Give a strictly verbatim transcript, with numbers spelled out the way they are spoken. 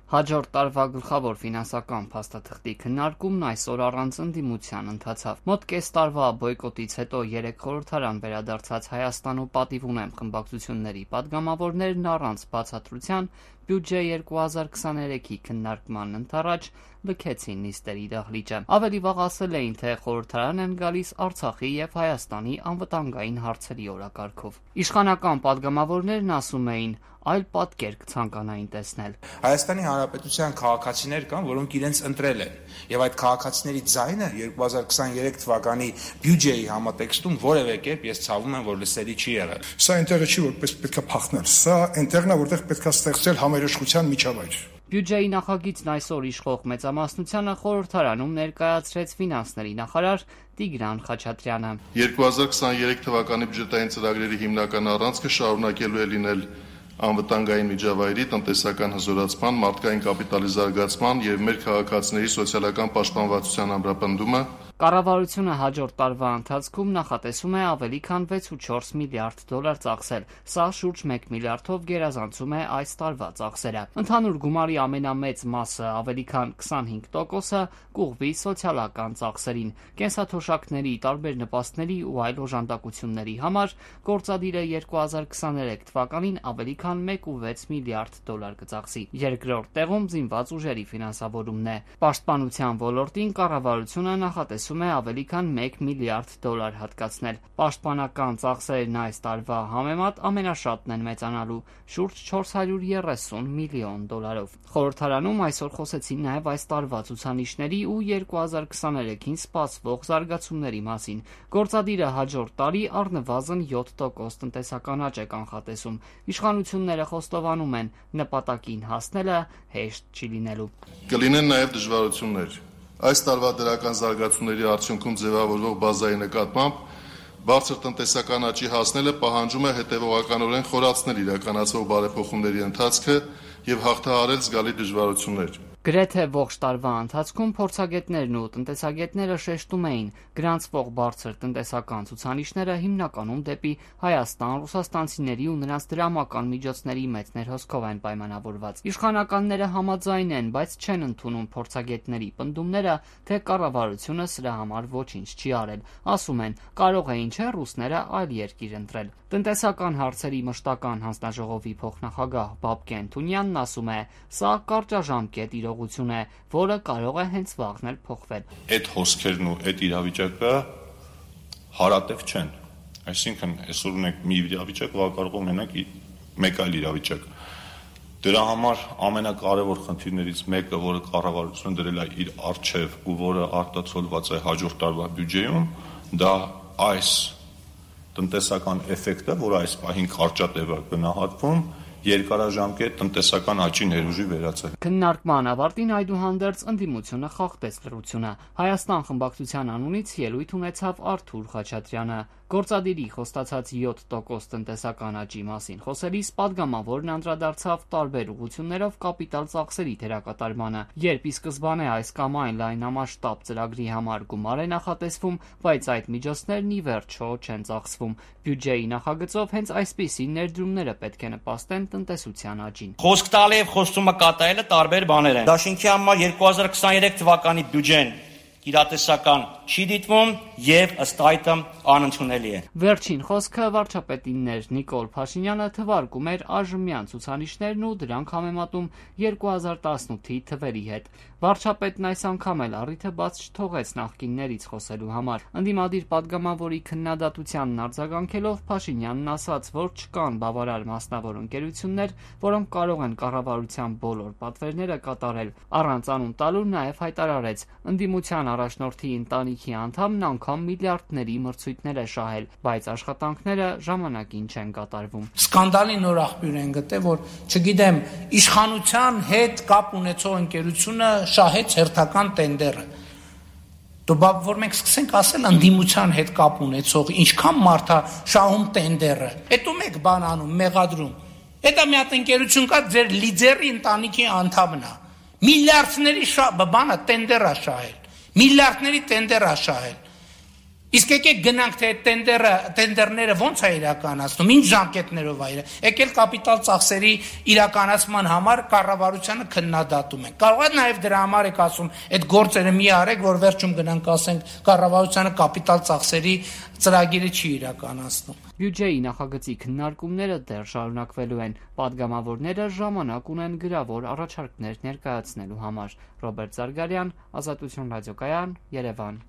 Հաջորդ տարվա գլխավոր ֆինանսական փաստաթղթի քննարկումն այսօր առանց ընդդիմության ընթացավ։ Մոտ կես տարվա բոյկոտից հետո երեք խորհրդարան վերադարձած Հայաստան ու Պատիվ ունեմ խմբակցությունների պատգամավորներն առանց բացատրության բյուջե երկու հազար քսաներեքի քննարկման ընդառաջ լքեցին նիստերի դահլիճը։ Ավելի վաղ ասել էին, թե խորհրդարան են գալիս Արցախի եւ Հայաստանի անվտանգային հարցերի օրակարգով։ Իշխանական պատգամավորներն ասում էին, այլ պատկեր կցանկանային տեսնել։ Հայաստանի Հանրապետության քաղաքացիներ կան, որոնք իրենց ընտրել են, եւ այդ քաղաքացիների ձայնը երկու հազար քսաներեք թվականի բյուջեի համատեքստում որևէ կերպ ես ցավում եմ, որ լսելի չի եղել։ Սա ինտերը չի, որպես պետք է փախնել։ Սա ինտերն է, որտեղ պետք է ստեղծել համերաշխության միջավայր։ Բյուջեի նախագիծն այսօր իշխող մեծամասնությանը խորհրդարանում ներկայացրեց ֆինանսների նախարար Տիգրան Խաչատրյանը։ երկու հազար քսաներեք թվականի բյուջետային ծրագրերի հիմնական առանցքը շարունակելու է լինել անվտանգային միջավայրի, տնտեսական հզորացման, մարդկային կապիտալի զարգացման եւ մեր քաղաքացիների սոցիալական պաշտպանվածության ամրապնդումը։ Կառավարությունը հաջորդ տարվա ընթացքում նախատեսում է ավելի քան վեց ու չորս միլիարդ դոլար ծախսել։ Սա շուրջ մեկ միլիարդով գերազանցում է այս տարվա ծախսերը։ Ընդհանուր գումարի ամենամեծ մասը, ավելի քան քսանհինգ տոկոսը, կուղվի սոցիալական ծախսերին։ Կենսաթոշակների, տարբեր նպաստների ու այլ օժանդակությունների համար գործադիրը երկու հազար քսաներեք թվականին ավելի քան մեկ ու վեց միլիարդ դոլար կծախսի։ Երկրորդ տեղում զինված ուժերի ֆինանսավորումն է։ Պաշտպանության ոլորտին կառավարությունը նախատեսում է ավելի քան մեկ միլիարդ դոլար հատկացնել։ Պաշտպանական ծախսերն այս տարվա համեմատ ամենաշատն են մեծանալու՝ շուրջ չորս հարյուր երեսուն միլիոն դոլարով։ Խորհրդարանում այսօր խոսեցին նաև այս տարվա ցուցանիշների ու երկու հազար քսաներեքին սպասվող զարգացումների մասին։ Գործադիրը հաջորդ տարի առնվազն յոթ տոկոս տնտեսական աճ է կանխատեսում։ Իշխանությունները խոստովանում են, նպատակին հասնելը հեշտ չի լինելու։ Կլինեն նաև դժվարություններ։ Այս տարվա դրական զարգացումների արդյունքում ձևավորվող բազայի նկատմամբ բարձր տնտեսական աճի հասնելը պահանջում է հետևողականորեն խորացնել իրականացվող բարեփոխումների ընթացքը եւ հաղթահարել զգալի դժվարություններ։ Գրեթե ողջ տարվա ընթացքում փորձագետներն ու տնտեսագետները շեշտում էին, գրանցվող բարձր տնտեսական ցուցանիշները հիմնականում դեպի Հայաստան ռուսաստանցիների ու նրանց դրամական միջոցների մեծ ներհոսքով են պայմանավորված։ Իշխանականները համաձայն են, բայց չեն ընդունում փորձագետների պնդումները, թե կառավարությունը սրա համար ոչինչ չի արել։ Ասում են, կարող էին չէ ռուսները այլ երկիր ընտրել։ Տնտեսական հարցերի մշտական հանձնաժողովի փոխնախագահ Բաբկեն Թունյանն ասում է, սա կարճաժամկետ իրողություն է, որը կարող է հենց վաղն էլ փոխվել։ Այդ հոսքերն ու այդ իրավիճակը հարատև չեն։ Այսինքն այսօր ունենք մի իրավիճակ, որ կարող ունենանք մեկ այլ իրավիճակ։ Դրա համար ամենակարևոր խնդիրներից մեկը, որը կառավարությունը դրել է իր առջև ու որը արտացոլված է հաջորդ տարվա բյուջեում, դա այս տնտեսական էֆեկտը, որը այս պահին կարճատև է գնահատվում, երկարաժամկետ տնտեսական աճի ներուժի վերածել։ Քննարկման ավարտին այդուհանդերձ ընդդիմությունը խախտեց լռությունը։ Հայաստան խմբակցության անունից ելույթ ունեցավ Արթուր Խաչատրյանը։ Գործադիրի խոստացած յոթ տոկոս տնտեսական աճի մասին խոսելիս պատգամավորն անդրադարձավ տարբեր ուղղություններով կապիտալ ծախսերի դերակատարմանը, երբ ի սկզբանե այս կամ այն լայնամասշտաբ ծրագրի համար գումար է նախատեսվում, բայց այդ միջոցներն ի վերջո չեն ծախսվում։ Բյուջեի նախագծով հենց այսպիսի ներդրումները պետք է նպաստեն տնտեսության աճին։ Խոսք տալը եւ խոստումը կատարելը տարբեր բաներ են։ Դաշինքի համար երկու հազար քսաներեք թվականի բյուջեն իրատեսական չի դիտվում եւ ըստ այդմ անընդունելի է։ Վերջին խոսքը վարչապետինն էր։ Նիկոլ Փաշինյանը թվարկում էր այժմյան ցուցանիշներն ու դրանք համեմատում երկու հազար տասնութի թվերի հետ։ Վարչապետն այս անգամ էլ առիթը բաց չթողեց նախկիններից խոսելու համար։ Ընդդիմադիր պատգամավորի քննադատությանն արձագանքելով Փաշինյանն ասաց, որ չկան բավարար մասնավոր ընկերություններ, որոնք կարող են կառավարության բոլոր պատվերները կատարել։ Առանց անուն տալու նաև հայտարարեց, ընդդիմության առաջնորդի ընտանիքի անդամն անգամ միլիարդների մրցույթներ է շահել, բայց աշխատանքները ժամանակին չեն կատարվում։ Սկանդալի նոր աղբյուր են գտել, որ չգիտեմ, իշխանության հետ կապ ունեցող ընկերությունը շահեց հերթական տենդերը։ Դու բա որ մենք սկսենք ասել ընդդիմության հետ կապ ունեցող ինչքան մարդ է շահում տենդերը։ Հետո մեկ բան անում, մեղադրում։ Հետո մի հատ ընկերություն կա, ձեր լիդերի ընտանիքի անդամն է։ Միլիարդների բանը տենդեր է շահել։ Միլիարդների տենդեր է շահել։ Իսկ եկեք գնանք թե տենդերը, տենդերները ոնց է իրականացնում, ինչ ժամկետներով է, եկել կապիտալ ծախսերի իրականացման համար կառավարությանը քննադատում են։ Կարող է նաև դրա համար եք ասում, այդ գործերը մի արեք, որ վերջում գնանք ասենք կառավարությանը կապիտալ ծախսերի ծրագիրը չի իրականացնում։ Բյուջեի նախագծի քննարկումները դեռ շարունակվելու են։ Պատգամավորները ժամանակ ունեն գրավոր առաջարկներ ներկայացնելու համար։ Ռոբերտ Զարգարյան, Ազատություն ռադիոկայան, Երևան։